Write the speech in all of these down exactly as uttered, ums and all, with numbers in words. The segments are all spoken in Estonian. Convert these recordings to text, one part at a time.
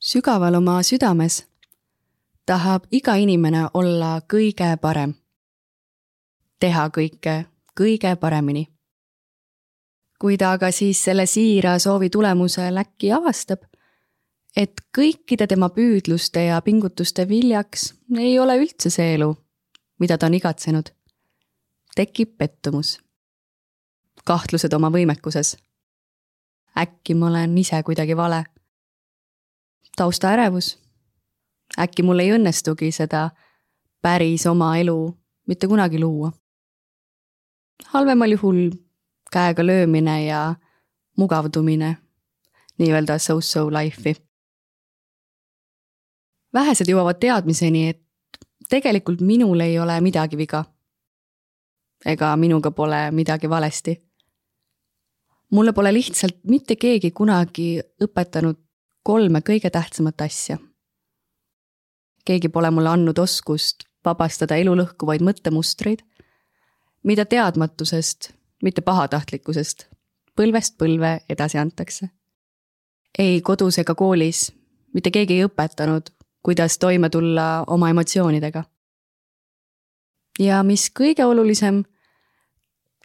Sügaval oma südames tahab iga inimene olla kõige parem. Teha kõike kõige paremini. Kui ta aga siis selle siira soovi tulemusel äkki avastab, et kõikide tema püüdluste ja pingutuste viljaks ei ole üldse see elu, mida ta on igatsenud, tekib pettumus. Kahtlused oma võimekuses. Äkki ma olen ise kuidagi vale. Tausta ärevus. Äkki mul ei õnnestugi seda päris oma elu mitte kunagi luua. Halvemal juhul käega löömine ja mugavdumine, nii-öelda so-so life'i. Vähesed jõuavad teadmiseni, et tegelikult minul ei ole midagi viga. Ega minuga pole midagi valesti. Mulle pole lihtsalt mitte keegi kunagi õpetanud kolme kõige tähtsamat asja. Keegi pole mulle andnud oskust vabastada elu lõhkuvaid mõttemustreid, mida teadmatusest, mitte pahatahtlikkusest, põlvest põlve edasi antakse. Ei kodus ega koolis, mitte keegi ei õpetanud, kuidas toime tulla oma emotsioonidega. Ja mis kõige olulisem,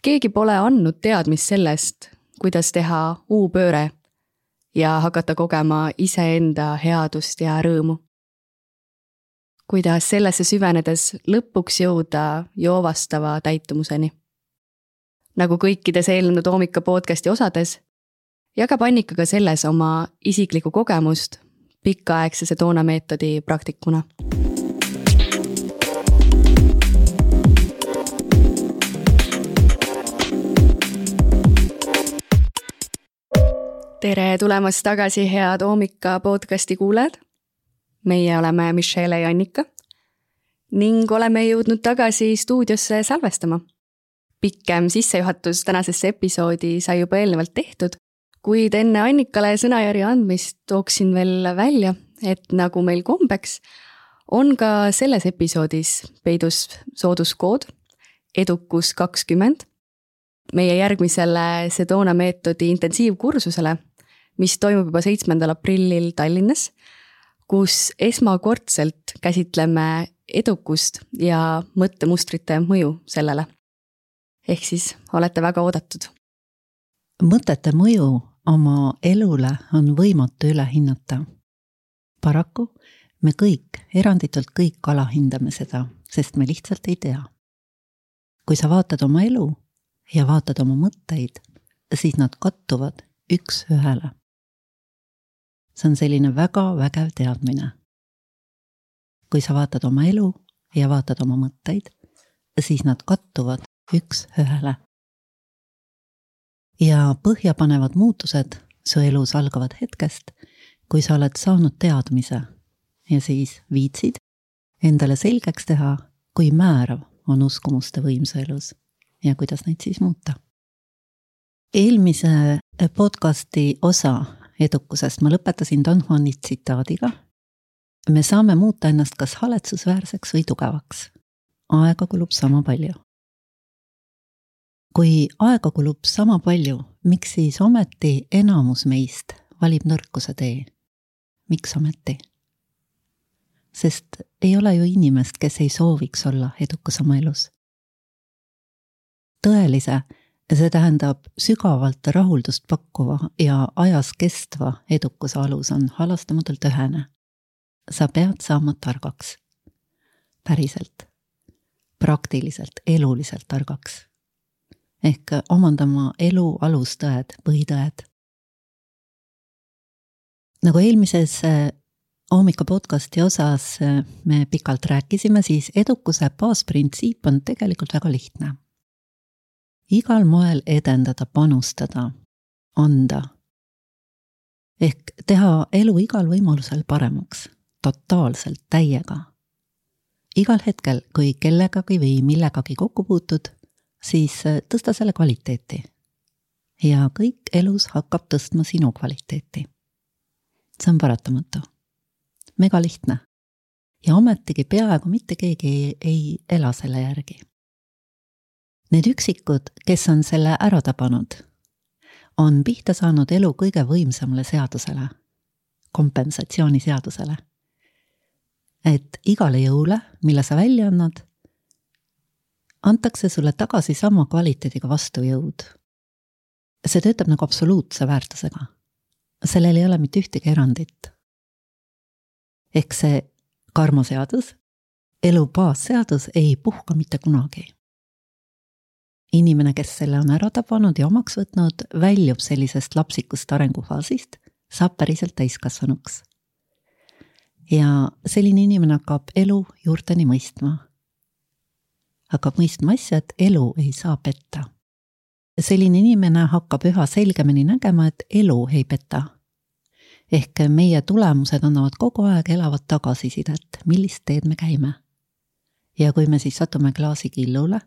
keegi pole andnud teadmist sellest, kuidas teha uupööre ja hakata kogema iseenda headust ja rõõmu. Kuidas sellesse süvenedes lõpuks jõuda joovastava täitumuseni. Nagu kõikides eelnenud Oomika podcasti osades, jagab Annika ka selles oma isiklikku kogemust pikaaegse Sedona meetodi praktikuna. Tere tulemast tagasi, head Oomika podcasti kuulajad. Meie oleme Michelle ja Annika ning oleme jõudnud tagasi stuudiosse salvestama. Pikkem sissejuhatus tänasesse episoodi sai juba eelnevalt tehtud, kuid enne Annikale sõnajärje andmist tooksin veel välja, et nagu meil kombeks, on ka selles episoodis peidus sooduskood edukus kakskümmend meie järgmisele Sedona meetodi intensiivkursusele, mis toimub juba seitsmendal aprillil Tallinnas, kus esmakordselt käsitleme edukust ja mõttemustrite mõju sellele. Ehk siis olete väga oodatud. Mõtete mõju oma elule on võimatu üle hinnata. Paraku me kõik, eranditult kõik alahindame seda, sest me lihtsalt ei tea. Kui sa vaatad oma elu ja vaatad oma mõtteid, siis nad kattuvad üks ühele. See on selline väga vägev teadmine. Kui sa vaatad oma elu ja vaatad oma mõtteid, siis nad kattuvad üks ühele. Ja põhjapanevad muutused su elus algavad hetkest, kui sa oled saanud teadmise ja siis viitsid endale selgeks teha, kui määrav on uskumuste võim su elus ja kuidas neid siis muuta. Eelmise podcasti osa edukusest ma lõpetasin Don Juani tsitaadiga. Me saame muuta ennast kas haletsusväärseks või tugevaks. Aega kulub sama palju. Kui aega kulub sama palju, miks siis ometi enamus meist valib nõrkuse tee? Miks ometi? Sest ei ole ju inimest, kes ei sooviks olla edukas oma elus. Tõelise, see tähendab sügavalt rahuldust pakkuva ja ajas kestva edukuse alus on halastamatult ühene. Sa pead saama targaks. Päriselt. Praktiliselt, eluliselt targaks. Ehk omandama elu alustõed, põhitõed. Nagu eelmises Oomika podcasti osas me pikalt rääkisime, siis edukuse baasprintsiip on tegelikult väga lihtne. Igal moel edendada, panustada, anda. Ehk teha elu igal võimalusel paremaks, totaalselt, täiega. Igal hetkel, kui kellegagi või millegagi kokku puutud, siis tõsta selle kvaliteeti. Ja kõik elus hakkab tõstma sinu kvaliteeti. See on paratamatu. Mega lihtne. Ja ometigi peaaegu mitte keegi ei, ei ela selle järgi. Need üksikud, kes on selle ära tabanud, on pihta saanud elu kõige võimsamale seadusele. kompensatsiooniseadusele. Et igale jõule, mille sa välja annad, antakse sulle tagasi sama kvaliteediga vastujõud. See töötab nagu absoluutse väärtusega. Sellel ei ole mitte ühtegi erandit. Ehk see karmaseadus, elu baasseadus ei puhka mitte kunagi. Inimene, kes selle on ära tabanud ja omaks võtnud, väljub sellisest lapsikust arengufaasist, saab päriselt täiskasvanuks. Ja selline inimene hakkab elu juurteni mõistma. Hakkab mõistma asja, et elu ei saa petta. Selline inimene hakkab üha selgemini nägema, et elu ei peta. Ehk meie tulemused annavad kogu aeg elavat tagasisidet, millist teed me käime. Ja kui me siis satume klaasi killule,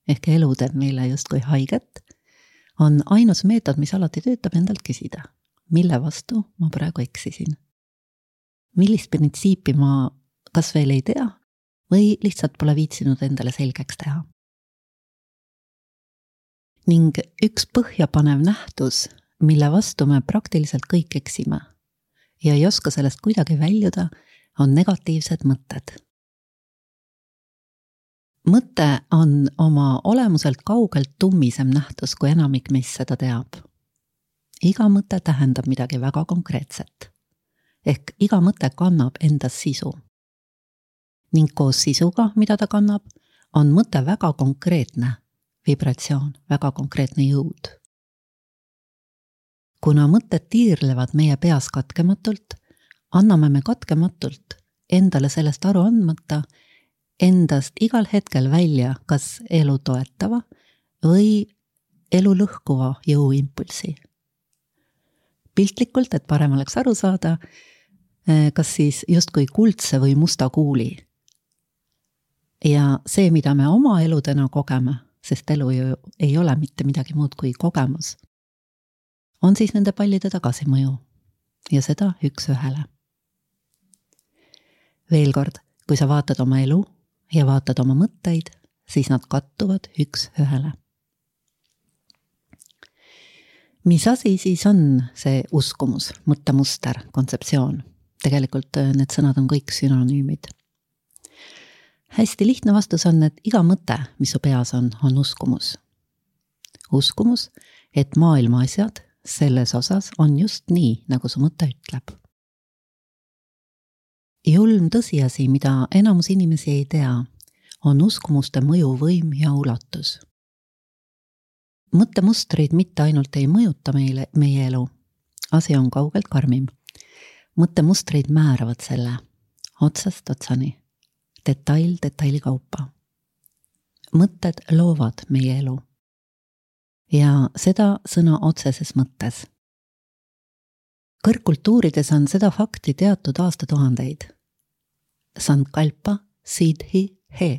ehk elu teeb meile justkui haiget, on ainus meetod, mis alati töötab endalt küsida. Mille vastu ma praegu eksisin? Millist printsiipi ma kas veel ei tea või lihtsalt pole viitsinud endale selgeks teha? Ning üks põhjapanev nähtus, mille vastu me praktiliselt kõik eksime ja ei oska sellest kuidagi väljuda, on negatiivsed mõtted. Mõte on oma olemuselt kaugelt tummisem nähtus, kui enamik meist seda teab. Iga mõte tähendab midagi väga konkreetset. Ehk iga mõte kannab endas sisu. Ning koos sisuga, mida ta kannab, on mõte väga konkreetne vibratsioon, väga konkreetne jõud. Kuna mõtted tiirlevad meie peas katkematult, anname me katkematult endale sellest aru andmata endast igal hetkel välja kas elu toetava või elu lõhkuva jõuimpulsi. Piltlikult, et parem oleks aru saada, kas siis justkui kuldse või musta kuuli. Ja see, mida me oma eludena kogeme, sest elu ju ei ole mitte midagi muud kui kogemus, on siis nende pallide tagasimõju ja seda üks ühele. Veel kord, kui sa vaatad oma elu ja vaatad oma mõtteid, siis nad kattuvad üks ühele. Mis asi siis on see uskumus, mõttemuster, kontseptsioon? Tegelikult need sõnad on kõik synonüümid. Hästi lihtne vastus on, et iga mõte, mis su peas on, on uskumus. Uskumus, et maailma asjad selles osas on just nii, nagu su mõte ütleb. Julm tõsiasi, mida enamus inimesi ei tea, on uskumuste mõjuvõim ja ulatus. Mõttemustrid mitte ainult ei mõjuta meile, meie elu, asi on kaugelt karmim. Mõttemustrid määravad selle otsast otsani, detail detaili kaupa. Mõtted loovad meie elu ja seda sõna otseses mõttes. Kõrgkultuurides on seda fakti teatud aastatuhandeid. Sankalpa siddhi he,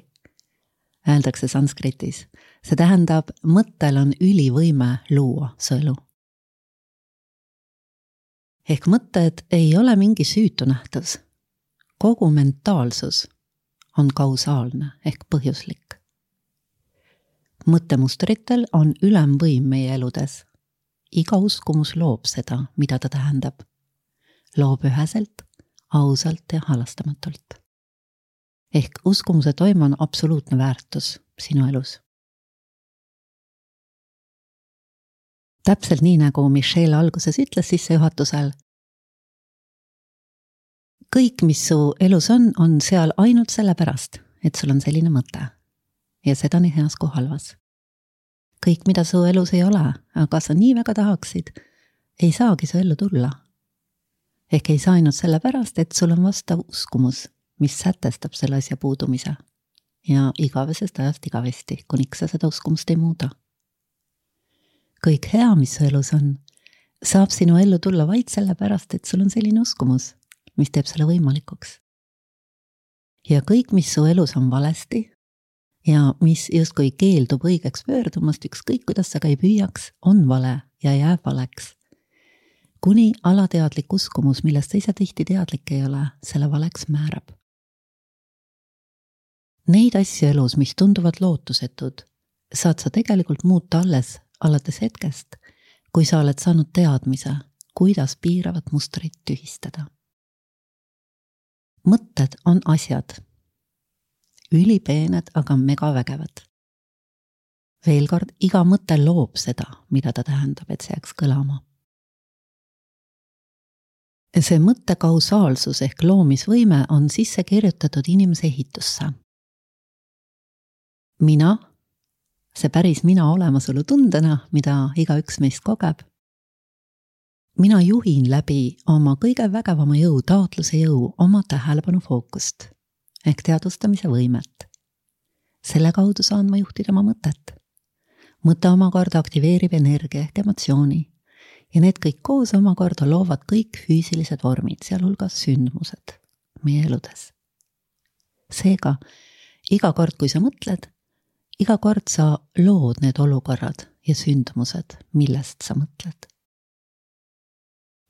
öeldakse sanskritis. See tähendab, mõttel on ülivõime luua su elu. Ehk mõtted ei ole mingi süütu nähtus. Kogu mentaalsus on kausaalne ehk põhjuslik. Mõttemustritel on ülemvõim meie eludes. Iga uskumus loob seda, mida ta tähendab. Loob üheselt, ausalt ja halastamatult. Ehk uskumuse toim on absoluutne väärtus sinu elus. Täpselt nii, nagu Michelle alguses ütles sissejuhatusel. Kõik, mis su elus on, on seal ainult sellepärast, et sul on selline mõte. Ja seda nii heas kui halvas. Kõik, mida su elus ei ole, aga sa nii väga tahaksid, ei saagi su ellu tulla. Ehk ei saa ainult sellepärast, et sul on vastav uskumus, mis sätestab selle asja puudumise. Ja igavesest ajast igavesti, kuniks sa seda uskumust ei muuda. Kõik hea, mis su elus on, saab sinu ellu tulla vaid sellepärast, et sul on selline uskumus, mis teeb selle võimalikuks. Ja kõik, mis su elus on valesti ja mis justkui keeldub õigeks pöördumast, ükskõik kuidas sa ka ei püüaks, on vale ja jääb valeks. Kuni alateadlik uskumus, millest sa ise tihti teadlik ei ole, selle valeks määrab. Neid asju elus, mis tunduvad lootusetud, saad sa tegelikult muuta alles alates hetkest, kui sa oled saanud teadmise, kuidas piiravat mustrit tühistada. mõtted on asjad. Ülipeened, aga megavägevad. Veel kord, iga mõte loob seda, mida ta tähendab, et see jääks kõlama. See mõtte kausaalsus ehk loomisvõime on sisse kirjutatud inimese ehitusse. Mina, see päris mina olemasolu tundena, mida iga üks meist kogeb, mina juhin läbi oma kõige vägevama jõu, taotluse jõu, oma tähelepanu fookust ehk teadvustamise võimet. Selle kaudu saan ma juhtida oma mõtet. Mõte omakorda aktiveerib energia ehk emotsiooni ja need kõik koos omakorda loovad kõik füüsilised vormid, sealhulgas sündmused meie eludes. Seega, iga kord, kui sa mõtled, iga kord sa lood need olukorrad ja sündmused, millest sa mõtled.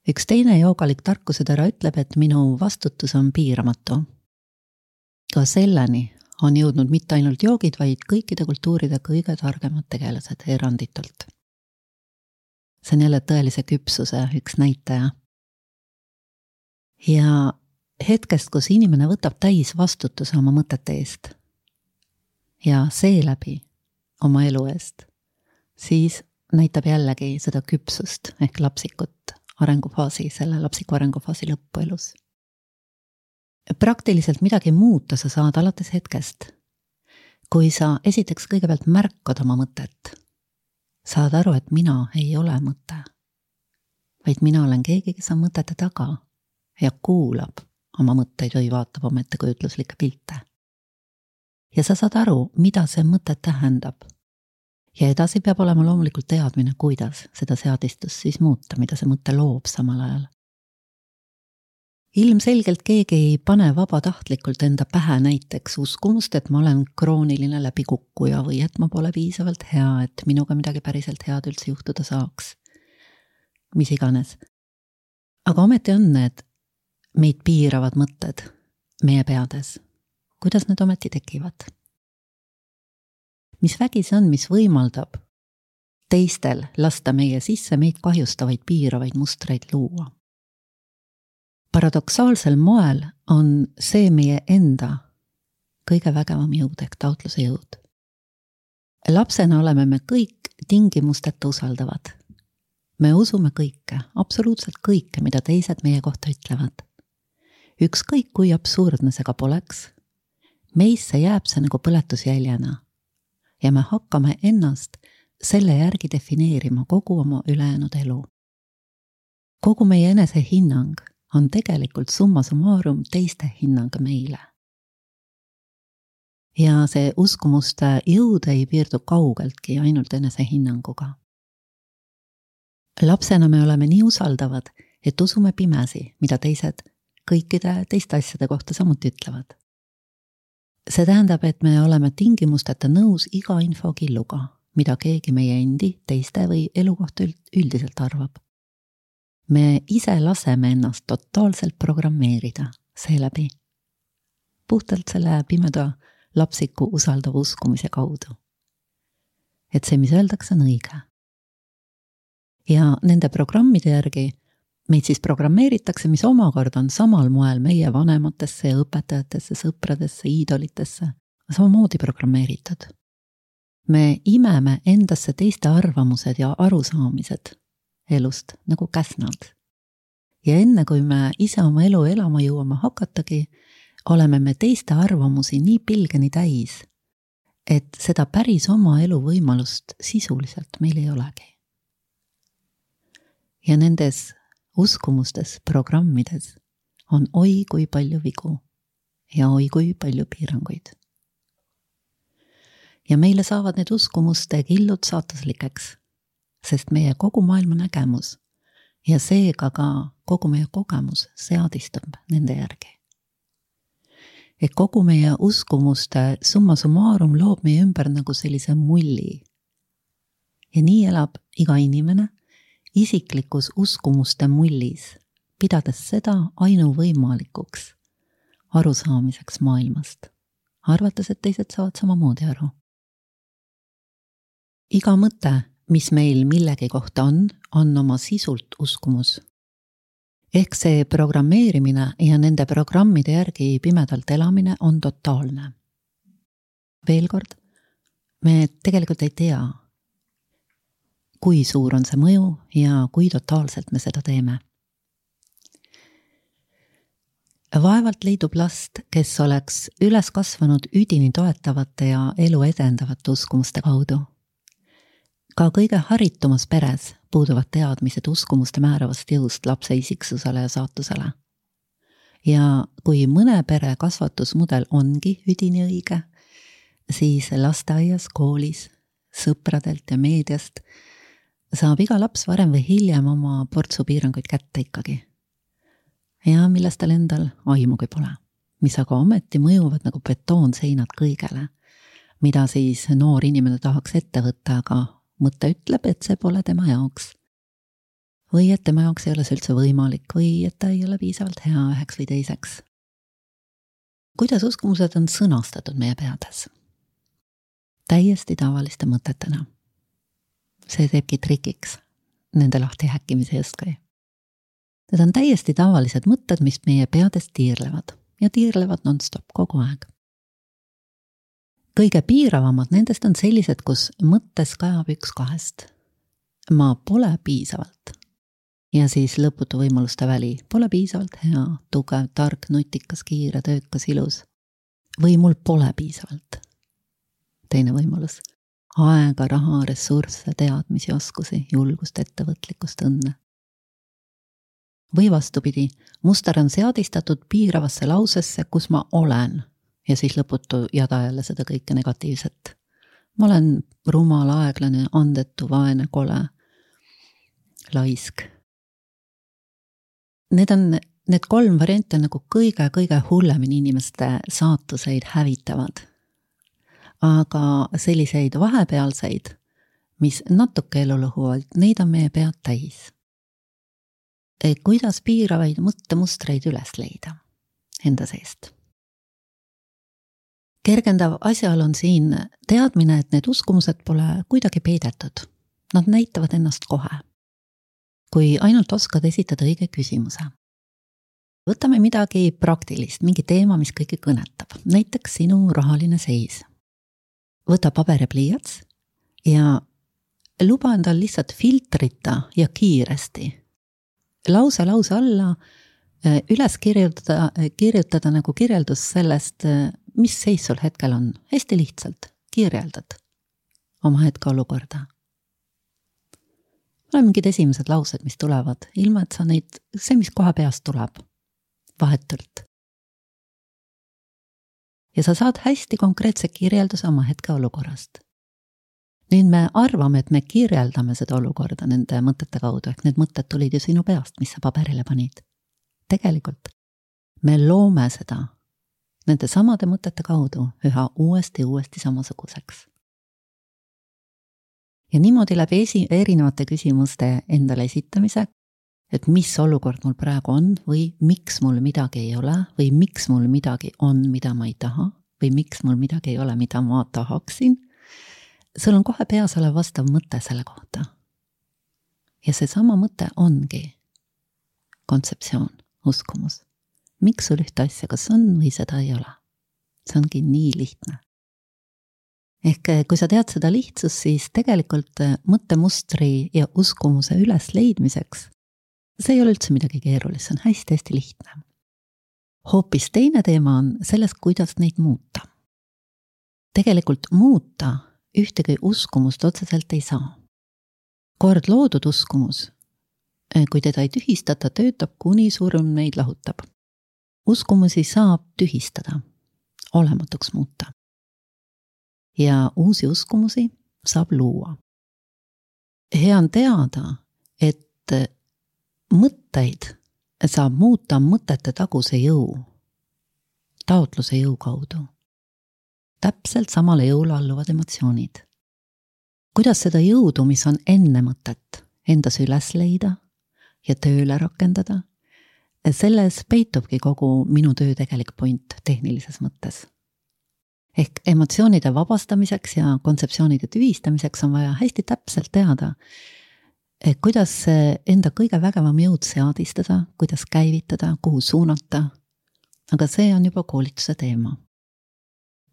Üks teine joogalik tarkusetera ütleb, et minu vastutus on piiramatu. Ka selleni on jõudnud mitte ainult joogid, vaid kõikide kultuuride kõige targemad tegelased eranditult. See on jälle tõelise küpsuse üks näitaja. Ja hetkest, kus inimene võtab täis vastutuse oma mõtete eest ja seeläbi oma elu eest, siis näitab jällegi seda küpsust ehk lapsikut arengufaasi, selle lapsiku arengufaasi lõppu elus. Praktiliselt midagi muuta sa saad alates hetkest, kui sa esiteks kõigepealt märkad oma mõtet. Saad aru, et mina ei ole mõte, vaid mina olen keegi, kes on mõtete taga ja kuulab oma mõtteid või vaatab oma ettekujutluslikke pilte. Ja sa saad aru, mida see mõte tähendab. Ja edasi peab olema loomulikult teadmine, kuidas seda seadistust siis muuta, mida see mõte loob samal ajal. Ilmselgelt keegi ei pane vabatahtlikult enda pähe näiteks uskumust, et ma olen krooniline läbikukkuja või et ma pole piisavalt hea, et minuga midagi päriselt head üldse juhtuda saaks. Mis iganes. Aga ometi on need meid piiravad mõtted meie peades. Kuidas need ometi tekivad? Mis vägi see on, mis võimaldab teistel lasta meie sisse meid kahjustavaid piiravaid mustreid luua? Paradoksaalsel moel on see meie enda kõige vägevam jõud ehk taotluse jõud. Lapsena oleme me kõik tingimusteta usaldavad. Me usume kõike, absoluutselt kõike, mida teised meie kohta ütlevad. Ükskõik kui absurdne see ka poleks, meisse jääb see nagu põletusjäljena ja me hakkame ennast selle järgi defineerima kogu oma ülejäänud elu. Kogu meie enese hinnang on tegelikult summa summarum teiste hinnang meile. Ja see uskumuste jõud ei piirdu kaugeltki ainult enese hinnanguga. Lapsena me oleme nii usaldavad, et usume pimesi, mida teised kõikide teiste asjade kohta samuti ütlevad. See tähendab, et me oleme tingimusteta nõus iga infokilluga, mida keegi meie endi, teiste või elu kohta üldiselt arvab. Me ise laseme ennast totaalselt programmeerida seeläbi. Puhtalt selle pimeda lapsiku usaldava uskumise kaudu. Et see, mis öeldakse, on õige. Ja nende programmide järgi meid siis programmeeritakse, mis omakorda on samal moel meie vanematesse ja õpetajatesse, sõpradesse, iidolitesse, samamoodi programmeeritud. Me imeme endasse teiste arvamused ja arusaamised elust nagu käsnad. Ja enne kui me ise oma elu elama jõuame hakatagi, oleme me teiste arvamusi nii pilgeni täis, et seda päris oma elu võimalust sisuliselt meil ei olegi. Ja nendes uskumustes, programmides on oi kui palju vigu ja oi kui palju piiranguid. Ja meile saavad need uskumuste killud saataslikeks, sest meie kogu maailma nägemus ja seega ka kogu meie kogemus seadistub nende järgi. Et kogu meie uskumuste summa summarum loob meie ümber nagu sellise mulli. Ja nii elab iga inimene isiklikus uskumuste mullis, pidades seda ainuvõimalikuks arusaamiseks maailmast, arvates, et teised saavad samamoodi aru. Iga mõte, mis meil millegi kohta on, on oma sisult uskumus. ehk see programmeerimine ja nende programmide järgi pimedalt elamine on totaalne. Veel kord, me tegelikult ei tea, kui suur on see mõju ja kui totaalselt me seda teeme. Vaevalt leidub last, kes oleks üles kasvanud üdini toetavate ja elu edendavate uskumuste kaudu. Ka kõige haritumas peres puuduvad teadmised uskumuste määravast jõust lapse isiksusele ja saatusele. Ja kui mõne pere kasvatusmudel ongi üdini õige, siis lasteaias, koolis, sõpradelt ja meediast saab iga laps varem või hiljem oma portsu piiranguid kätte ikkagi. Ja millest tal endal aimugi pole, mis aga ometi mõjuvad nagu betoonseinad kõigele, mida siis noor inimene tahaks ette võtta, aga mõte ütleb, et see pole tema jaoks. Või et tema jaoks ei ole see üldse võimalik või et ta ei ole piisavalt hea üheks või teiseks. Kuidas uskumused on sõnastatud meie peades? Täiesti tavaliste mõtetena. See teebki trikiks nende lahti häkkimise justkui. Need on täiesti tavalised mõtted, mis meie peades tiirlevad ja tiirlevad non-stop kogu aeg. Kõige piiravamad nendest on sellised, kus mõttes kajab üks kahest. Ma pole piisavalt. Ja siis lõputu võimaluste väli. Pole piisavalt hea, tugev, tark, nutikas, kiire, töökas, ilus. Või mul pole piisavalt. Teine võimalus. Aega, raha, ressursse, teadmisi, oskusi, julgust, ettevõtlikkust, õnne. Või vastupidi, muster on seadistatud piiravasse lausesse, kus ma olen, ja siis lõputu jada jälle seda kõike negatiivset. Ma olen rumal, aeglane, andetu, vaene, kole, laisk. Need on, need kolm varianti on nagu kõige-kõige hullemini inimeste saatuseid hävitavad. Aga selliseid vahepealseid, mis natuke elu lõhuvad, neid on meie pead täis. Kuidas piiravaid mõttemustreid üles leida enda seest? Kergendav asjaol on siin teadmine, et need uskumused pole kuidagi peidetud. Nad näitavad ennast kohe. Kui ainult oskad esitada õige küsimuse. Võtame midagi praktilist, mingi teema, mis kõiki kõnetab. Näiteks sinu rahaline seis. Võta paber ja pliiats ja luba endal lihtsalt filtrita ja kiiresti lause lause alla üles kirjutada, kirjutada nagu kirjeldus sellest, mis seis sul hetkel on. Hästi lihtsalt kirjeldad oma hetke olukorda. Ole mingid esimesed laused, mis tulevad, ilma et sa neid, see, mis kohe peast tuleb, vahetult. Ja sa saad hästi konkreetse kirjelduse oma hetke olukorrast. Nüüd me arvame, et me kirjeldame seda olukorda nende mõtete kaudu, ehk need mõtted tulid ju sinu peast, mis sa paberile panid. Tegelikult me loome seda nende samade mõtete kaudu üha uuesti uuesti samasuguseks. Ja niimoodi läbi esi, erinevate küsimuste endale esitamise, et mis olukord mul praegu on või miks mul midagi ei ole või miks mul midagi on, mida ma ei taha või miks mul midagi ei ole, mida ma tahaksin, sul on kohe peas olev vastav mõte selle kohta. Ja see sama mõte ongi kontseptsioon, uskumus. Miks sul ühte asja kas on või seda ei ole? See ongi nii lihtne. Ehk kui sa tead seda lihtsust, siis tegelikult mõttemustri ja uskumuse üles leidmiseks see ei ole üldse midagi keerulist, see on hästi-hästi lihtne. Hoopis teine teema on selles, kuidas neid muuta. Tegelikult muuta ühtegi uskumust otseselt ei saa. Kord loodud uskumus, kui teda ei tühistata, töötab kuni surm neid lahutab. Uskumusi saab tühistada, olematuks muuta. Ja uusi uskumusi saab luua. Hea on teada, et mõtteid saab muuta mõtete taguse jõu, taotluse jõu kaudu. Täpselt samale jõule alluvad emotsioonid. Kuidas seda jõudu, mis on enne mõtet, endas üles leida ja tööle rakendada, selles peitubki kogu minu töö tegelik point tehnilises mõttes. Ehk emotsioonide vabastamiseks ja kontseptsioonide tühistamiseks on vaja hästi täpselt teada, kuidas enda kõige vägevam jõud seadistada, kuidas käivitada, kuhu suunata, aga see on juba koolituse teema.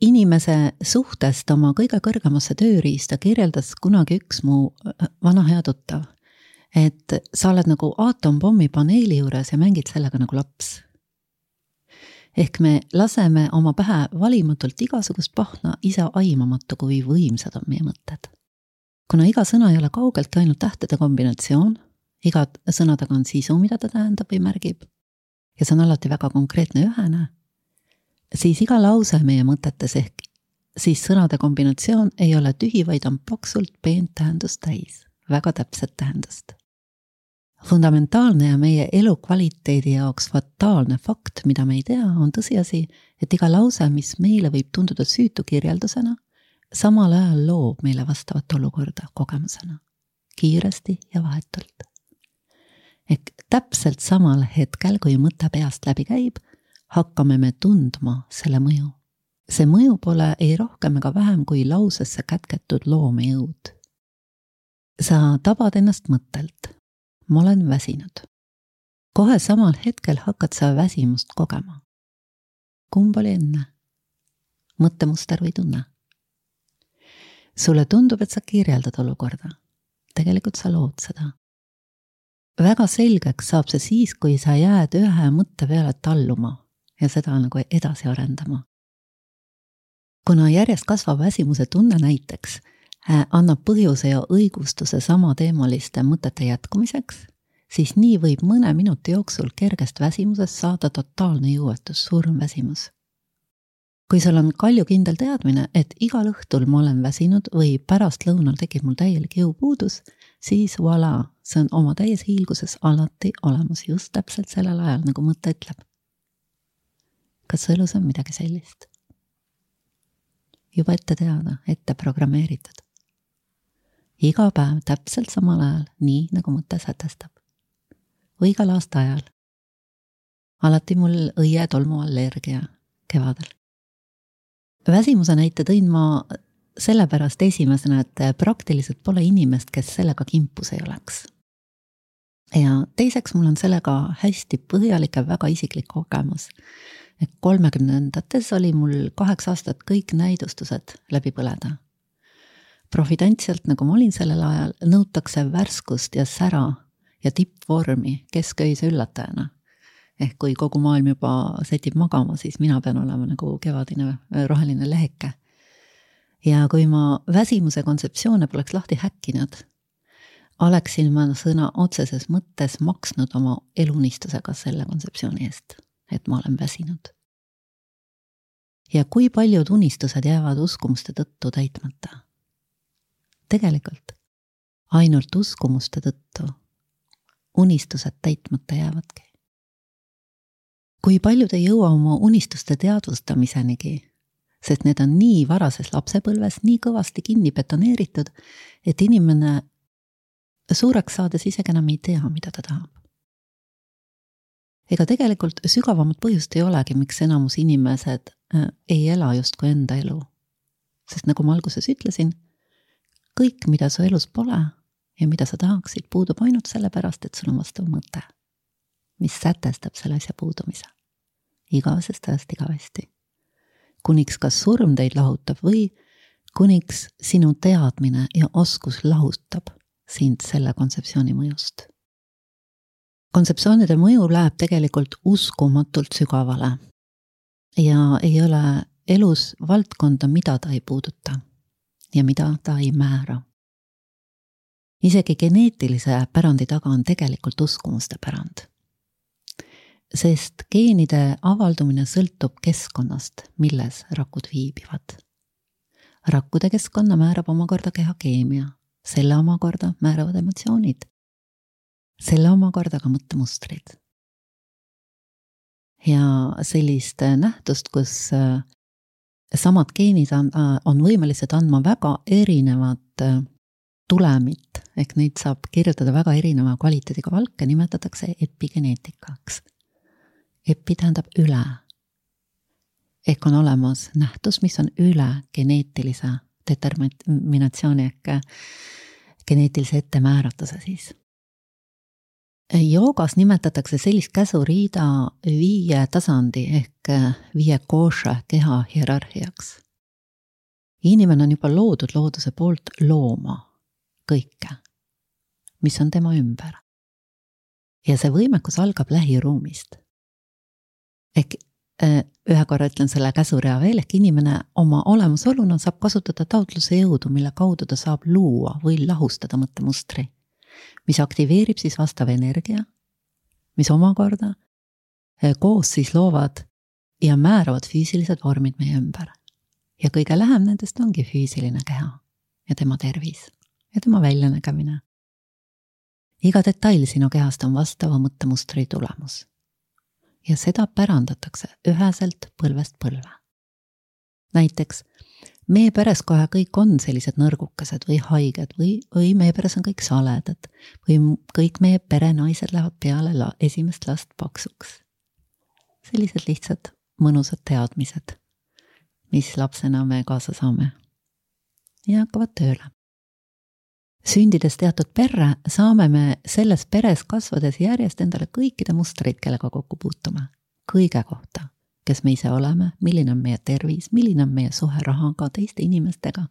Inimese suhtest oma kõige kõrgemasse tööriista kirjeldas kunagi üks mu vana hea tuttav, et sa oled nagu aatompommi paneeli juures ja mängid sellega nagu laps. Ehk me laseme oma pähe valimatult igasugust pahna ise aimamatu, kui võimsad on meie mõtted. Kuna iga sõna ei ole kaugelt ainult tähtede kombinatsioon, iga sõna taga on sisu, mida ta tähendab või märgib, ja see on alati väga konkreetne ühene, siis iga lause meie mõtetes ehk siis sõnade kombinatsioon ei ole tühi, vaid on paksult peent tähendust täis, väga täpset tähendust. Fundamentaalne ja meie elukvaliteedi jaoks fataalne fakt, mida me ei tea, on tõsiasi, et iga lause, mis meile võib tunduda süütu kirjeldusena, samal ajal loob meile vastavat olukorda kogemusena, kiiresti ja vahetult. Ehk täpselt samal hetkel, kui mõte peast läbi käib, hakkame me tundma selle mõju. See mõju pole ei rohkem ega vähem kui lausesse kätketud loomejõud. Sa tabad ennast mõttelt. Ma olen väsinud. Kohe samal hetkel hakkad sa väsimust kogema. Kumb oli enne? Mõttemuster või tunne? Sulle tundub, et sa kirjeldad olukorda. Tegelikult sa lood seda. Väga selgeks saab see siis, kui sa jääd ühe mõtte peale talluma ja seda nagu edasi arendama. Kuna järjest kasvab väsimuse tunne näiteks, annab põhjuse ja õigustuse sama teemaliste mõtete jätkumiseks, siis nii võib mõne minuti jooksul kergest väsimusest saada totaalne jõuetus, surm väsimus. Kui sul on kaljukindel teadmine, et igal õhtul ma olen väsinud või pärast lõunal tekib mul täielik jõupuudus, siis voilà, see on oma täies hiilguses alati olemas just täpselt sellel ajal, nagu mõte ütleb. Kas sõelus on midagi sellist? Juba ette teada, ette programmeeritud. Iga päev täpselt samal ajal, nii nagu mõte sätestab. Või igal aasta ajal. Alati mul õie tolmu allergia kevadel. Väsimuse näite tõin ma sellepärast esimesena, et praktiliselt pole inimest, kes sellega kimpus ei oleks. Ja teiseks mul on sellega hästi põhjalik ja väga isiklik kogemus. Et kolmekümnendates oli mul kaheks aastat kõik näidustused läbi põleda. Profidantsialt, nagu ma olin sellel ajal, nõutakse värskust ja sära ja tippvormi kesköise üllatajana. Ehk kui kogu maailm juba setib magama, siis mina pean olema nagu kevadine roheline leheke. Ja kui ma väsimuse kontseptsioone poleks lahti häkkinud, oleksin ma sõna otseses mõttes maksnud oma elunistusega selle kontseptsiooni eest, et ma olen väsinud. Ja kui paljud unistused jäävad uskumuste tõttu täitmata? Tegelikult ainult uskumuste tõttu unistused täitmata jäävadki. Kui paljud ei jõua oma unistuste teadvustamisenigi, sest need on nii varases lapsepõlves nii kõvasti kinni betoneeritud, et inimene suureks saades isegi enam ei tea, mida ta tahab. Ega tegelikult sügavamat põhjust ei olegi, miks enamus inimesed ei ela justkui enda elu. Sest nagu ma alguses ütlesin, kõik, mida su elus pole ja mida sa tahaksid, puudub ainult sellepärast, et sul on vastav mõte, mis sätestab selle asja puudumise. Igavesest ajast igavesti. Kuniks kas surm teid lahutab või kuniks sinu teadmine ja oskus lahutab sind selle kontseptsiooni mõjust. Kontseptsioonide mõju läheb tegelikult uskumatult sügavale ja ei ole elus valdkonda, mida ta ei puuduta ja mida ta ei määra. Isegi geneetilise pärandi taga on tegelikult uskumuste pärand. Sest geenide avaldumine sõltub keskkonnast, milles rakud viibivad. Rakkude keskkonna määrab omakorda kehakeemia, selle omakorda määravad emotsioonid, selle omakorda ka mõttemustrid. Ja sellist nähtust, kus samad geenid on võimelised andma väga erinevat tulemit, ehk neid saab kirjutada väga erineva kvaliteediga valke, nimetatakse epigeneetikaks. Epi tähendab üle. Ehk on olemas nähtus, mis on üle geneetilise determinatsiooni ehk geneetilise ettemääratuse siis. Joogas nimetatakse sellist käsuriida viie tasandi ehk viie koša keha hierarhiaks. Inimene on juba loodud looduse poolt looma kõike, mis on tema ümber. Ja see võimekus algab lähiruumist. Ehk ühe korra ütlen selle käsurea veel, ehk inimene oma olemusoluna saab kasutada taotluse jõudu, mille kaudu ta saab luua või lahustada mõttemustri, mis aktiveerib siis vastav energia, mis omakorda koos siis loovad ja määravad füüsilised vormid meie ümber. Ja kõige lähem nendest ongi füüsiline keha ja tema tervis ja tema väljanägemine. Iga detail sinu kehast on vastava mõttemustri tulemus. Ja seda pärandatakse üheselt põlvest põlve. Näiteks, meie peres kohe kõik on sellised nõrgukesed või haiged või, või meie peres on kõik saledad või kõik meie perenaised lähevad peale la, esimest last paksuks. Sellised lihtsad mõnusad teadmised, mis lapsena me kaasa saame ja hakkavad tööle. Sündides teatud perre saame me selles peres kasvades järjest endale kõikide mustreid, kellega kokku puutume. Kõige kohta, kes me ise oleme, milline on meie tervis, milline on meie suhe rahaga, teiste inimestega.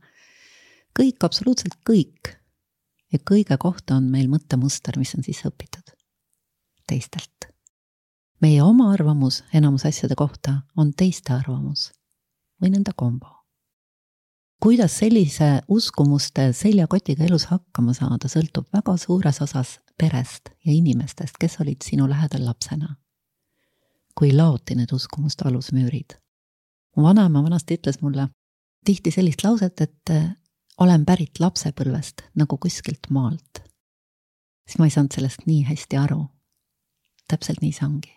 Kõik, absoluutselt kõik. Ja kõige kohta on meil mõttemuster, mis on siis õpitud teistelt. Meie oma arvamus enamus asjade kohta on teiste arvamus või nende kombo. Kuidas sellise uskumuste seljakotiga elus hakkama saada, sõltub väga suures osas perest ja inimestest, kes olid sinu lähedal lapsena. Kui laoti need uskumuste alusmüürid. Mu vanaema vanasti ütles mulle tihti sellist lauset, et olen pärit lapsepõlvest nagu kuskilt maalt. Siis ma ei saanud sellest nii hästi aru. Täpselt nii see ongi.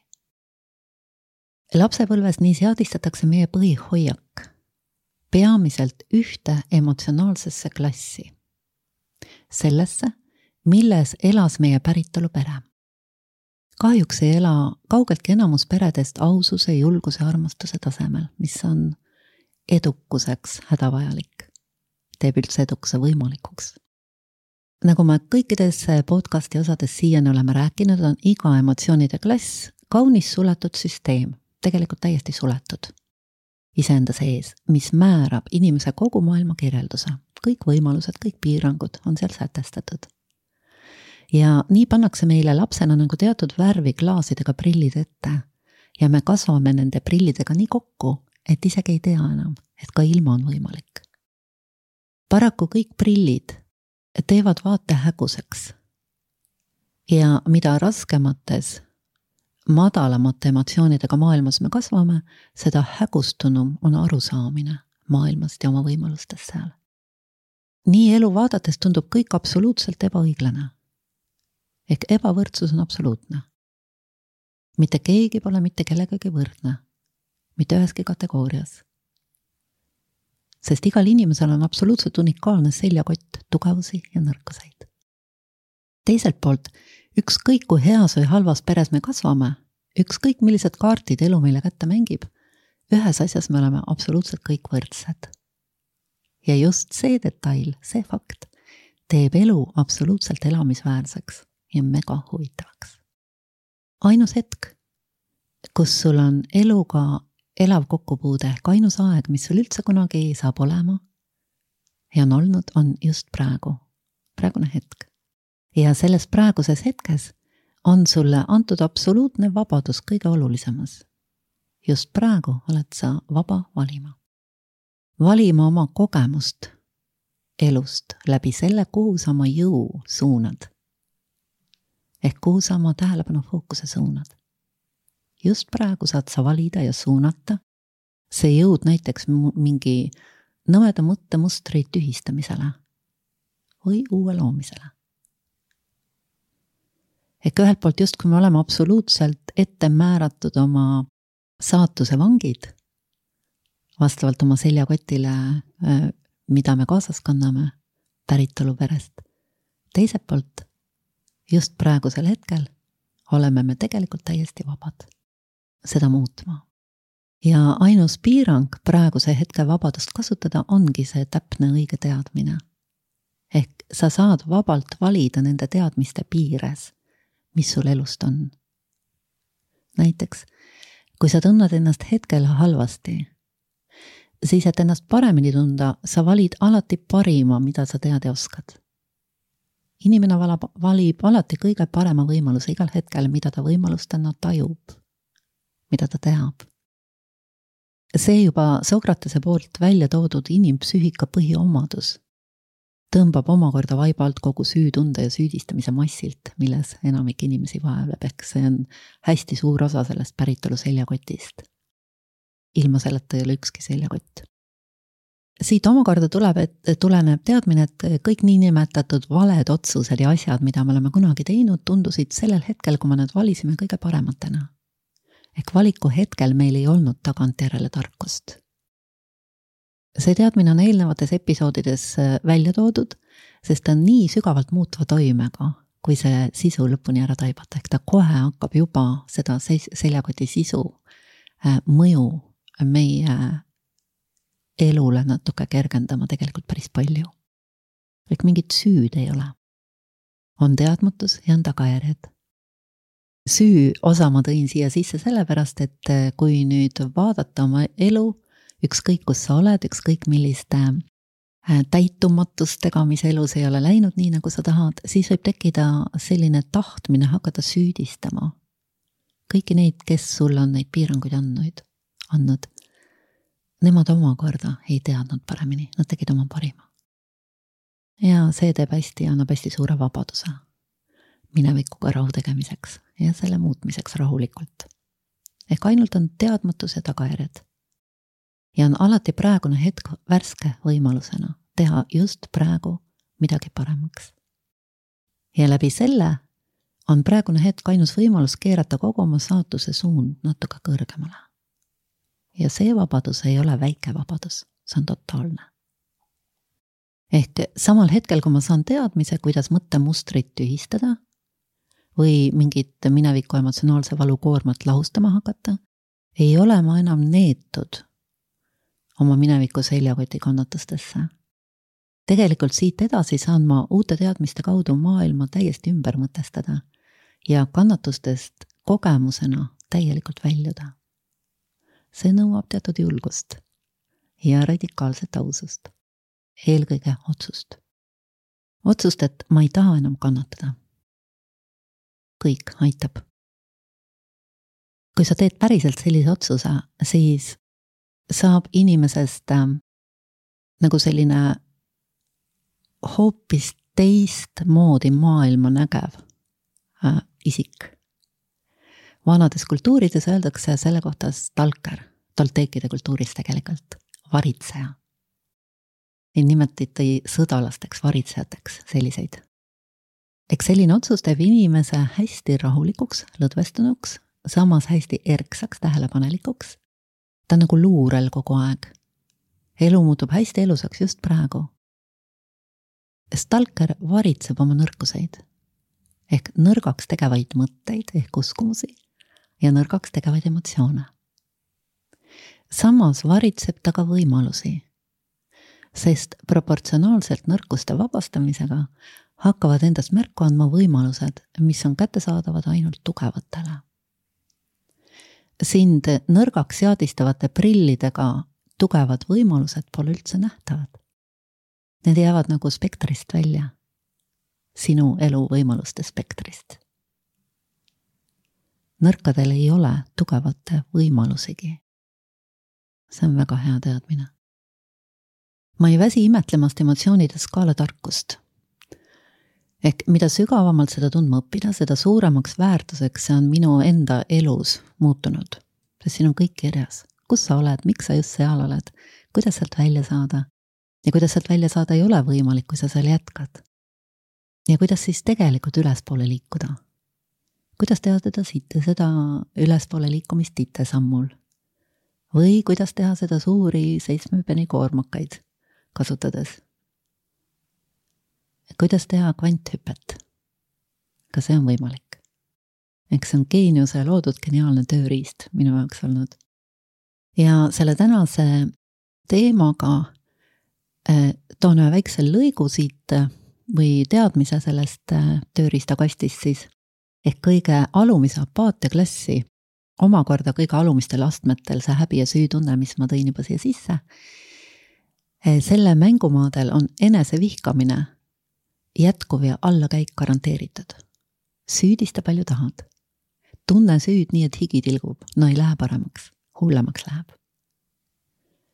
Lapsepõlves nii seadistatakse meie põhihoiak. Peamiselt ühte emotsionaalsesse klassi. Sellesse, milles elas meie päritolu pere. Kahjuks ei ela kaugeltki enamus peredest aususe, julguse, armastuse tasemel, mis on edukuseks hädavajalik. Teeb üldse edukuse võimalikuks. Nagu me kõikides podcasti osades siiani oleme rääkinud, on iga emotsioonide klass kaunis suletud süsteem, tegelikult täiesti suletud. Iseenda sees, mis määrab inimese kogu maailma kirjelduse. Kõik võimalused, kõik piirangud on seal sätestatud. Ja nii pannakse meile lapsena nagu teatud värvi klaasidega prillid ette ja me kasvame nende prillidega nii kokku, et isegi ei tea enam, et ka ilma on võimalik. Paraku kõik prillid teevad vaate häguseks ja mida raskemates madalamate emotsioonidega maailmas me kasvame, seda hägustunum on arusaamine maailmast ja oma võimalustest seal. Nii elu vaadates tundub kõik absoluutselt ebaõiglane. Ehk ebavõrdsus on absoluutne. Mitte keegi pole mitte kellegagi võrdne, mitte üheski kategoorias. Sest igal inimesel on absoluutselt unikaalne seljakott, tugevusi ja nõrkuseid. Teiselt poolt, ükskõik kui heas või halvas peres me kasvame, ükskõik millised kaartid elu meile kätte mängib, ühes asjas me oleme absoluutselt kõik võrdsed. Ja just see detail, see fakt, teeb elu absoluutselt elamisväärseks ja mega huvitavaks. Ainus hetk, kus sul on eluga elav kokkupuude, ehk ainus aeg, mis sul üldse kunagi saab olema ja on olnud, on just praegu, praegune hetk. Ja selles praeguses hetkes on sulle antud absoluutne vabadus kõige olulisemas. Just praegu oled sa vaba valima. Valima oma kogemust elust läbi selle, kuhu sa oma jõu suunad. Ehk kuhu sa oma tähelepanu fookuse suunad. Just praegu saad sa valida ja suunata see jõud näiteks mingi nõmeda mõttemustri tühistamisele või uue loomisele. Ehk ühelt poolt just kui me oleme absoluutselt ette määratud oma saatuse vangid, vastavalt oma seljakotile, mida me kaasas kanname päritolu perest. Teiselt poolt, just praegusel hetkel oleme me tegelikult täiesti vabad seda muutma. Ja ainus piirang praeguse hetke vabadust kasutada ongi see täpne õige teadmine. Ehk sa saad vabalt valida nende teadmiste piires, mis sul elust on. Näiteks, kui sa tunned ennast hetkel halvasti, siis et ennast paremini tunda, sa valid alati parima, mida sa tead ja oskad. Inimene valab, valib alati kõige parema võimaluse igal hetkel, mida ta võimalustena tajub, mida ta teab. See juba Sokratese poolt välja toodud inimpsüühika põhiomadus tõmbab omakorda vaiba alt kogu süütunde ja süüdistamise massilt, milles enamik inimesi vaevleb, ehk see on hästi suur osa sellest päritolu seljakotist. Ilma selleta ei ole ükski seljakott. Siit omakorda tuleb, et tuleneb teadmine, et kõik niinimetatud valed otsused ja asjad, mida me oleme kunagi teinud, tundusid sellel hetkel, kui me need valisime kõige parematena. Ehk valiku hetkel meil ei olnud tagantjärele tarkust. See teadmine on eelnevates episoodides välja toodud, sest ta on nii sügavalt muutva toimega, kui see sisu lõpuni ära taibata. Ehk ta kohe hakkab juba seda seljakoti sisu mõju meie elule natuke kergendama tegelikult päris palju. Ehk mingit süüd ei ole. On teadmatus ja on tagajärjed. Süü osa ma tõin siia sisse sellepärast, et kui nüüd vaadata oma elu, ükskõik kus sa oled, ükskõik milliste täitumatustega, mis elus ei ole läinud nii, nagu sa tahad, siis võib tekkida selline tahtmine hakata süüdistama. Kõiki neid, kes sul on neid piiranguid andnud, andnud. Nemad omakorda ei teadnud paremini, nad tegid oma parima. Ja see teeb hästi, annab hästi suure vabaduse minevikuga rahu tegemiseks ja selle muutmiseks rahulikult. Ehk ainult on teadmatus ja tagajärjed. Ja on alati praegune hetk värske võimalusena teha just praegu midagi paremaks. Ja läbi selle on praegune hetk ainus võimalus keerata kogu oma saatuse suund natuke kõrgemale. Ja see vabadus ei ole väike vabadus, see on totaalne. Ehk samal hetkel, kui ma saan teadmise, kuidas mõttemustrit tühistada või mingit mineviku emotsionaalse valukoormat lahustama hakata, ei ole ma enam neetud oma mineviku seljakoti kannatustesse. Tegelikult siit edasi saan ma uute teadmiste kaudu maailma täiesti ümber mõtestada ja kannatustest kogemusena täielikult väljuda. See nõuab teatud julgust ja radikaalset ausust. Eelkõige otsust. Otsust, et ma ei taha enam kannatada. Kõik aitab. Kui sa teed päriselt sellise otsuse, siis saab inimesest äh, nagu selline hoopis teist moodi maailma nägev äh, isik. Vanades kultuurides öeldakse selle kohta stalker, tolteekide kultuuris tegelikult, varitseja. Ei nimetati sõdalasteks, varitsejateks selliseid. Eks selline otsus teeb inimese hästi rahulikuks, lõdvestunuks, samas hästi erksaks, tähelepanelikuks. Ta on nagu luurel kogu aeg. Elu muutub hästi elusaks just praegu. Stalker varitseb oma nõrkuseid, ehk nõrgaks tegevaid mõtteid, ehk uskumusi ja nõrgaks tegevaid emotsioone. Samas varitseb ta ka võimalusi, sest proportsionaalselt nõrkuste vabastamisega hakkavad endast märku andma võimalused, mis on kättesaadavad ainult tugevatele. Sind nõrgaks seadistavate prillidega tugevad võimalused pole üldse nähtavad. Need jäävad nagu spektrist välja, sinu elu võimaluste spektrist. Nõrkadel ei ole tugevate võimalusigi. See on väga hea teadmine. Ma ei väsi imetlemast emotsioonide skaala tarkust. Ehk mida sügavamalt seda tundma õppida, seda suuremaks väärtuseks see on minu enda elus muutunud. Sest siin on kõik kirjas. Kus sa oled, miks sa just seal oled, kuidas sealt välja saada. Ja kuidas sealt välja saada ei ole võimalik, kui sa seal jätkad. Ja kuidas siis tegelikult ülespoole liikuda. Kuidas teha seda, seda ülespoole liikumist ite sammul. Või kuidas teha seda suuri seitsmepeni koormakaid kasutades. Kuidas teha kvanthüpet? Ka see on võimalik. Eks see on geeniuse loodud geniaalne tööriist minu jaoks olnud. Ja selle tänase teemaga eh, toon ühe väikse lõigu siit või teadmise sellest tööriistakastist siis, ehk kõige alumise apaatia klassi, omakorda kõige alumistel astmetel see häbi ja süütunne, mis ma tõin juba siia sisse, selle mängumaadel on enese vihkamine jätkuv ja allakäik garanteeritud. Süüdista palju tahad. Tunne süüd nii, et higi tilgub, no ei lähe paremaks, hullemaks läheb.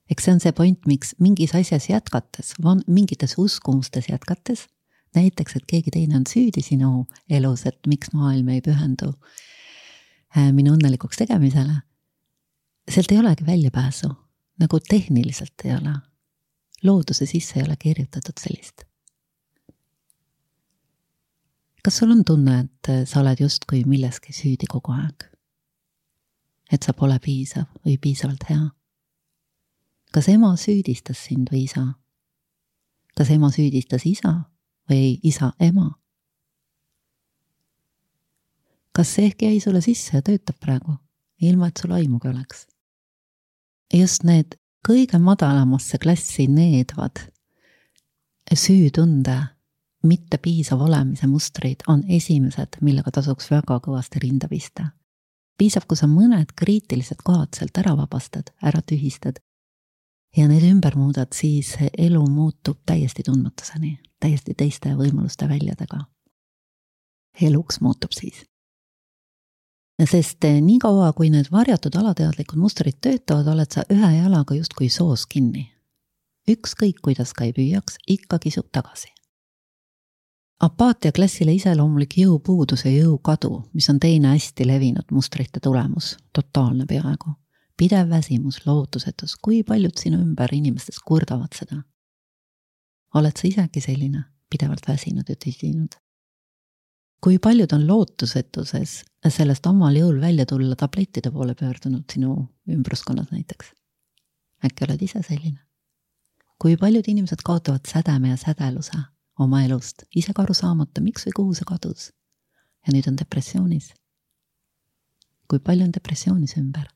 Eks see on see point, miks mingis asjas jätkates, mingites uskumustes jätkates, näiteks, et keegi teine on süüdi sinu elus, et miks maailm ei pühendu minu õnnelikuks tegemisele, sealt ei olegi väljapääsu, nagu tehniliselt ei ole. Looduse sisse ei ole kirjutatud sellist. Kas sul on tunne, et sa oled justkui milleski süüdi kogu aeg? Et sa pole piisav või piisavalt hea? Kas ema süüdistas sind või isa? Kas ema süüdistas isa või isa ema? Kas see ehk jäi sulle sisse ja töötab praegu, ilma et sul aimugi oleks? Just need kõige madalamasse klassi needvad süütunde, mitte piisav olemise mustrid on esimesed, millega tasuks väga kõvasti rinda pista. Piisab, kui sa mõned kriitilised kohad sealt ära vabastad, ära tühistad ja need ümber muudad, siis elu muutub täiesti tundmatuseni, täiesti teiste võimaluste väljadega. Eluks muutub siis. Sest nii kaua, kui need varjatud alateadlikud mustrid töötavad, oled sa ühe jalaga justkui soos kinni. Ükskõik, kuidas ka ei püüaks, ikka kisub tagasi. Apaatia klassile iseloomulik jõupuudus ja jõukadu, mis on teine hästi levinud mustrite tulemus, totaalne peaaegu. Pidev väsimus, lootusetus, kui paljud sinu ümber inimestest kurdavad seda. Oled sa isegi selline, pidevalt väsinud ja tüsinud? Kui paljud on lootusetuses sellest omal jõul välja tulla tablettide poole pöördunud sinu ümbruskonnas näiteks? Äkki oled ise selline? Kui paljud inimesed kaotavad sädeme ja sädeluse oma elust, ise ka aru saamata, miks või kuhu see kadus? Ja nüüd on depressioonis. Kui palju on depressioonis ümber?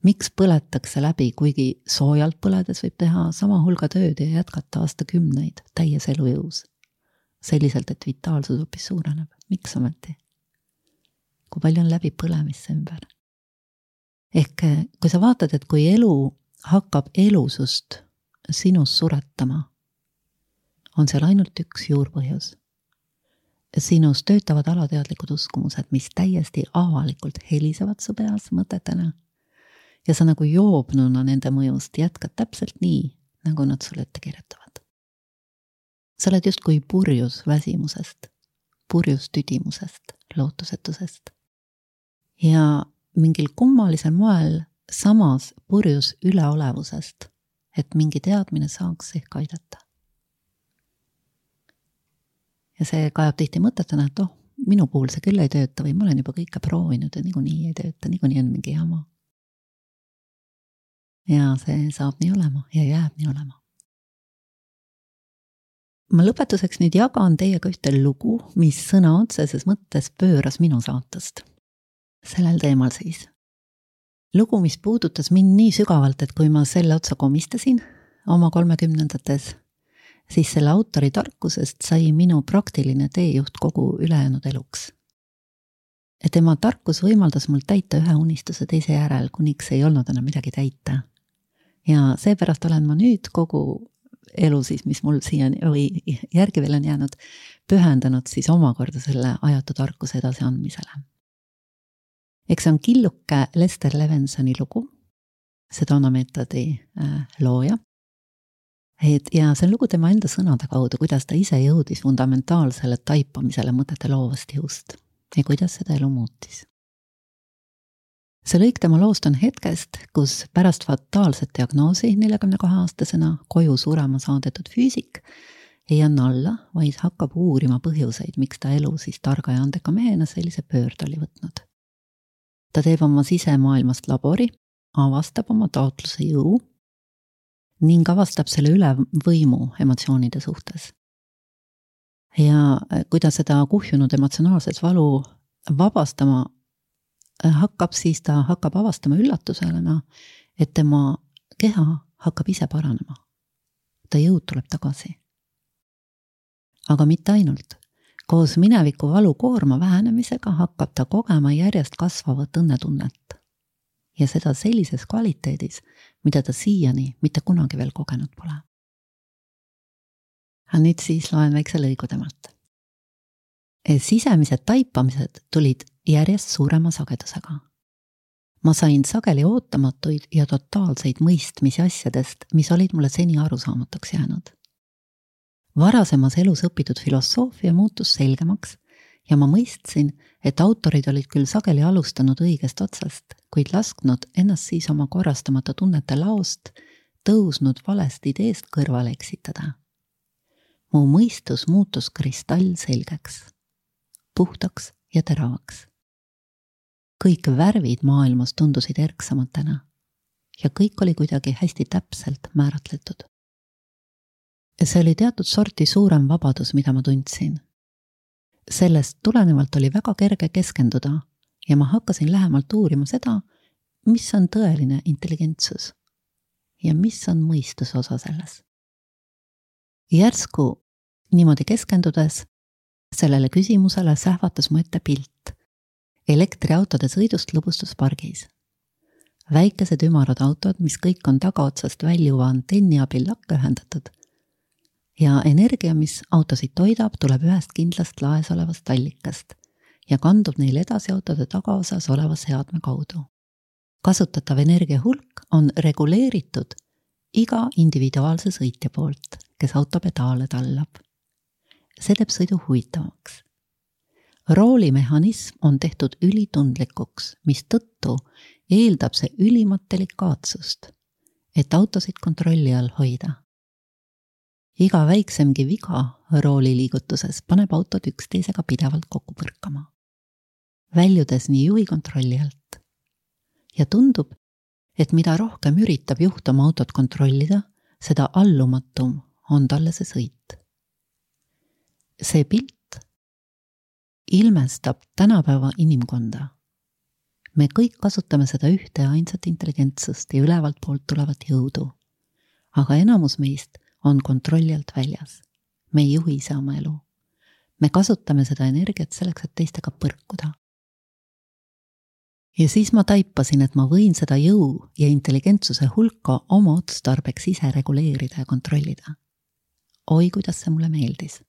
Miks põletakse läbi, kuigi soojalt põledes võib teha sama hulga tööd ja jätkata aastakümneid täies elujõus? Selliselt, et vitaalsus hoopis suureneb. Miks ometi? Kui palju on läbi põlemisse ümber? Ehk kui sa vaatad, et kui elu hakkab elusust sinus suretama, on seal ainult üks juurpõhjus. Sinus töötavad alateadlikud uskumused, mis täiesti avalikult helisevad su peas mõtetena. Ja sa nagu joobnuna nende mõjust jätkad täpselt nii, nagu nad sulle ette kirjutavad. Sa oled just kui purjus väsimusest, purjus tüdimusest, lootusetusest. Ja mingil kummalisel moel samas purjus üleolevusest, et mingi teadmine saaks ehk aidata. Ja see kajab tihti mõtetena, et oh, minu puhul see küll ei tööta või ma olen juba kõike proovinud ja niikuinii ei tööta, niikuinii on mingi jama. Ja see saab nii olema ja jääb nii olema. Ma lõpetuseks nüüd jagan teiega ühte lugu, mis sõna otseses mõttes pööras minu saatust. Sellel teemal siis. Lugu, mis puudutas mind nii sügavalt, et kui ma selle otsa komistasin oma kolmekümnendates, siis selle autori tarkusest sai minu praktiline teejuht kogu ülejäänud eluks. Et tema tarkus võimaldas mul täita ühe unistuse teise järel, kuniks ei olnud enam midagi täita. Ja seepärast olen ma nüüd kogu elu siis, mis mul siiani või järgi veel on jäänud, pühendanud siis omakorda selle ajatu tarkuse edasi andmisele. Eks on killuke Lester Levensoni lugu, Sedona meetodi looja. Et, ja see on lugu tema enda sõnade kaudu, kuidas ta ise jõudis fundamentaalsele taipamisele mõtete loovast jõust ja kuidas seda elu muutis. See lõik tema loost on hetkest, kus pärast fataalset diagnoosi neljakümne kahe aastasena koju surema saadetud füüsik ei anna alla, vaid hakkab uurima põhjuseid, miks ta elu siis targa ja andeka mehena sellise pöörd oli võtnud. Ta teeb oma sisemaailmast labori, avastab oma taotluse jõu ning avastab selle üle võimu emotsioonide suhtes. Ja kui ta seda kuhjunud emotsionaalset valu vabastama hakkab, siis ta hakkab avastama üllatusena, et tema keha hakkab ise paranema. Ta jõud tuleb tagasi. aga mitte ainult. Koos mineviku valukoorma vähenemisega hakkab ta kogema järjest kasvavat õnnetunnet. Ja seda sellises kvaliteedis, mida ta siiani mitte kunagi veel kogenud pole. Ja nüüd siis loen väikse lõigu temalt. Sisemised taipamised tulid järjest suurema sagedusega. Ma sain sageli ootamatuid ja totaalseid mõistmisi asjadest, mis olid mulle seni arusaamatuks jäänud. Varasemas elus õpitud filosoofia muutus selgemaks ja ma mõistsin, et autorid olid küll sageli alustanud õigest otsast, kuid lasknud ennast siis oma korrastamata tunnete laost, tõusnud valest ideest kõrvale eksitada. Mu mõistus muutus kristall selgeks, puhtaks ja teravaks. Kõik värvid maailmas tundusid erksamatena ja kõik oli kuidagi hästi täpselt määratletud. See oli teatud sorti suurem vabadus, mida ma tundsin. Sellest tulenevalt oli väga kerge keskenduda ja ma hakkasin lähemalt uurima seda, mis on tõeline intelligentsus ja mis on mõistuse osa selles. Järsku niimoodi keskendudes sellele küsimusele sähvatas mu ette pilt elektriautode sõidust lõbustuspargis. Väikesed ümarad autod, mis kõik on tagaotsast väljuva antenni abil lakke ühendatud ja energia, mis autosid toidab, tuleb ühest kindlast laes olevast allikast ja kandub neil edasi autode tagaosas oleva seadme kaudu. Kasutatav energia hulk on reguleeritud iga individuaalse sõitja poolt, kes auto pedaale tallab. See teeb sõidu huvitavaks. Roolimehhanism on tehtud ülitundlikuks, mis tõttu eeldab see ülimat delikaatsust, et autosid kontrolli all hoida. Iga väiksemgi viga rooli liigutuses paneb autod üksteisega pidevalt kokku põrkama, väljudes nii juhi kontrolli alt. Ja tundub, et mida rohkem üritab juht oma autot kontrollida, seda allumatum on talle see sõit. See pilt ilmestab tänapäeva inimkonda. Me kõik kasutame seda ühte ja ainsat intelligentsust ja ülevalt poolt tulevat jõudu, aga enamus meist on kontrolli alt väljas. Me ei juhi ise oma elu. Me kasutame seda energiat selleks, et teistega põrkuda. Ja siis ma taipasin, et ma võin seda jõu ja intelligentsuse hulka oma otstarbeks ise reguleerida ja kontrollida. Oi, kuidas see mulle meeldis.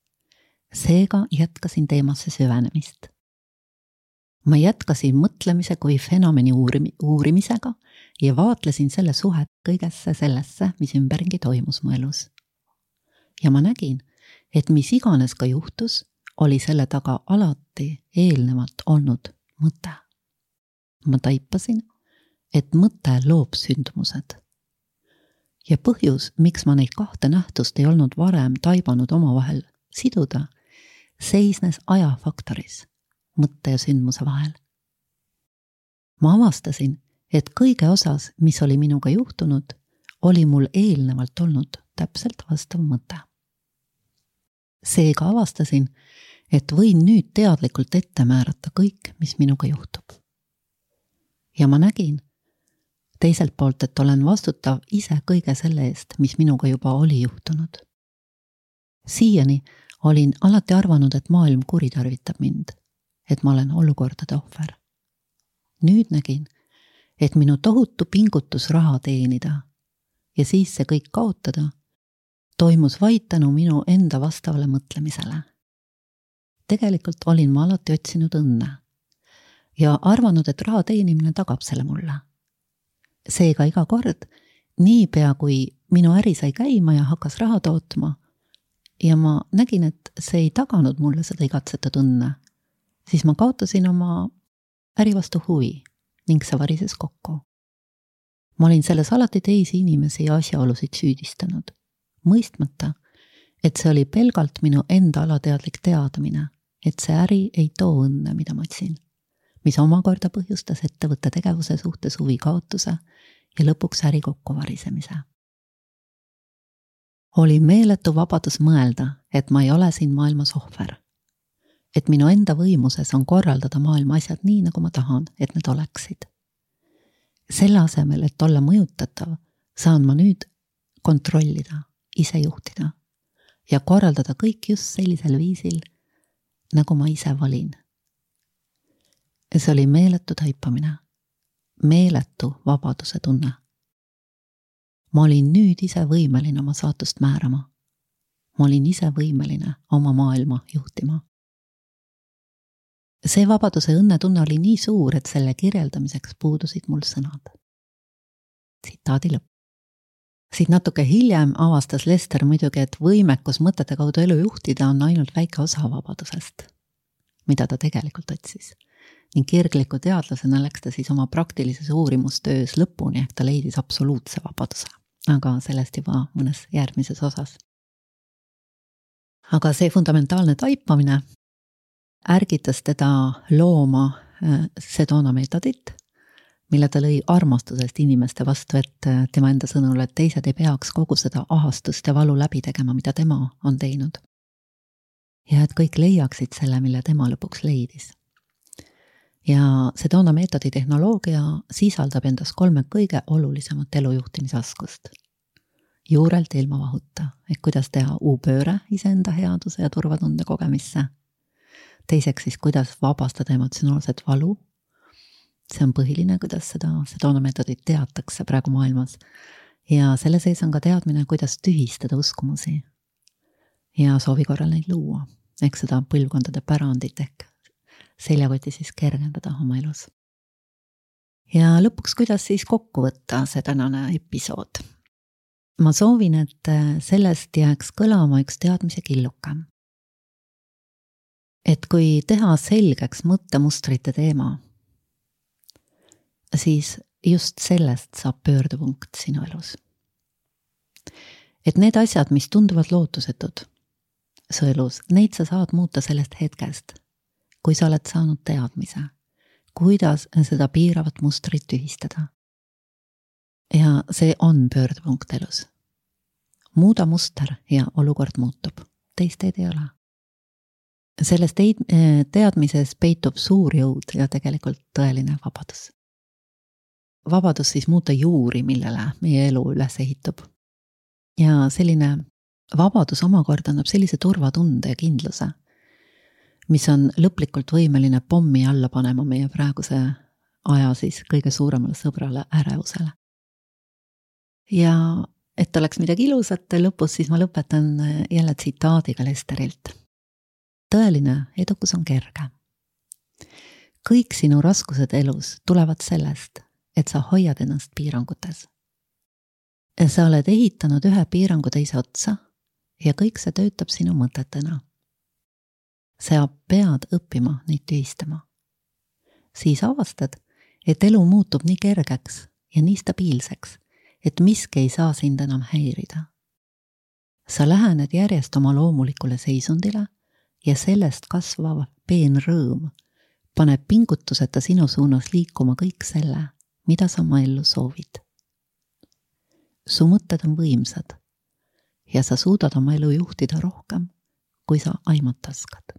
Seega jätkasin teemasse süvenemist. Ma jätkasin mõtlemise kui fenomeni uurimisega ja vaatlesin selle suhet kõigesse sellesse, mis ümbergi toimus mu elus. Ja ma nägin, et mis iganes ka juhtus, oli selle taga alati eelnevalt olnud mõte. Ma taipasin, et mõte loob sündmused. Ja põhjus, miks ma neid kahte nähtust ei olnud varem taibanud omavahel siduda, seisnes ajafaktoris, mõtte ja sündmuse vahel. Ma avastasin, et kõige osas, mis oli minuga juhtunud, oli mul eelnevalt olnud täpselt vastav mõte. Seega avastasin, et võin nüüd teadlikult ette määrata kõik, mis minuga juhtub. Ja ma nägin teiselt poolt, et olen vastutav ise kõige selle eest, mis minuga juba oli juhtunud. Siiani olin alati arvanud, et maailm kuritarvitab mind, et ma olen olukordade ohver. Nüüd nägin, et minu tohutu pingutus raha teenida ja siis see kõik kaotada toimus vaid tänu minu enda vastavale mõtlemisele. Tegelikult olin ma alati otsinud õnne ja arvanud, et raha teenimine tagab selle mulle. Seega iga kord, niipea kui minu äri sai käima ja hakkas raha tootma ja ma nägin, et see ei taganud mulle seda igatsetud õnne, siis ma kaotasin oma äri vastu huvi ning see varises kokku. Ma olin selles alati teisi inimesi ja asjaolusid süüdistanud, mõistmata, et see oli pelgalt minu enda alateadlik teadmine, et see äri ei too õnne, mida ma otsin, mis omakorda põhjustas ettevõtte tegevuse suhtes huvi kaotuse ja lõpuks äri kokkuvarisemise. Oli meeletu vabadus mõelda, et ma ei ole siin maailmas ohver, et minu enda võimuses on korraldada maailma asjad nii, nagu ma tahan, et need oleksid. Selle asemel, et olla mõjutatav, saan ma nüüd kontrollida, ise juhtida ja korraldada kõik just sellisel viisil, nagu ma ise valin. Ja see oli meeletu taipamine, meeletu vabaduse tunne. Ma olin nüüd ise võimeline oma saatust määrama. Ma olin ise võimeline oma maailma juhtima. See vabaduse õnnetunne oli nii suur, et selle kirjeldamiseks puudusid mul sõnad. Tsitaadi lõpp. Siit natuke hiljem avastas Lester muidugi, et võimekus mõtete kaudu elu juhtida on ainult väike osa vabadusest, mida ta tegelikult otsis. Ning kirgliku teadlasena läks ta siis oma praktilises uurimustöös lõpuni, ehk ta leidis absoluutse vabaduse, aga sellest juba mõnes järgmises osas. Aga see fundamentaalne taipamine ärgitas teda looma Sedona meetodit, mille ta lõi armastusest inimeste vastu, et tema enda sõnul, et teised ei peaks kogu seda ahastust ja valu läbi tegema, mida tema on teinud. Ja et kõik leiaksid selle, mille tema lõpuks leidis. Ja Sedona meetodi tehnoloogia sisaldab endas kolme kõige olulisemat elujuhtimisaskust. Juurelt ilma vahuta, ehk kuidas teha U-pööre iseenda headuse ja turvatunde kogemisse. Teiseks siis, kuidas vabastada emotsionaalset valu. See on põhiline, kuidas seda Sedona meetodit teatakse praegu maailmas. Ja selle sees on ka teadmine, kuidas tühistada uskumusi ja soovi korral neid luua, ehk seda põlvkondade pärandit ehk seljakoti siis kergendada oma elus. Ja lõpuks, kuidas siis kokku võtta see tänane episood. Ma soovin, et sellest jääks kõlama üks teadmise killuke. Et kui teha selgeks mõttemustrite teema, siis just sellest saab pöördepunkt sinu elus. Et need asjad, mis tunduvad lootusetud su elus, neid sa saad muuta sellest hetkest, kui sa oled saanud teadmise, kuidas seda piiravat mustrit tühistada. Ja see on pöördepunkt elus. Muuda muster ja olukord muutub. Teist teed ei ole. Selles teadmises peitub suur jõud ja tegelikult tõeline vabadus. Vabadus siis muuta juuri, millele meie elu üles ehitub. Ja selline vabadus omakorda annab sellise turvatunde ja kindluse, mis on lõplikult võimeline pommi alla panema meie praeguse aja siis kõige suuremale sõbrale ärevusele. Ja et oleks midagi ilusat lõpus, siis ma lõpetan jälle tsitaadiga Lesterilt. Tõeline edukus on kerge. Kõik sinu raskused elus tulevad sellest, et sa hoiad ennast piirangutes. Sa oled ehitanud ühe piirangu teise otsa ja kõik see töötab sinu mõtetena. Sa pead õppima neid tühistama. Siis avastad, et elu muutub nii kergeks ja nii stabiilseks, et miski ei saa sind enam häirida. Sa lähened järjest oma loomulikule seisundile ja sellest kasvav peen rõõm paneb pingutuseta sinu suunas liikuma kõik selle, mida sa oma ellu soovid. Su mõtted on võimsad ja sa suudad oma elu juhtida rohkem, kui sa aimata oskad.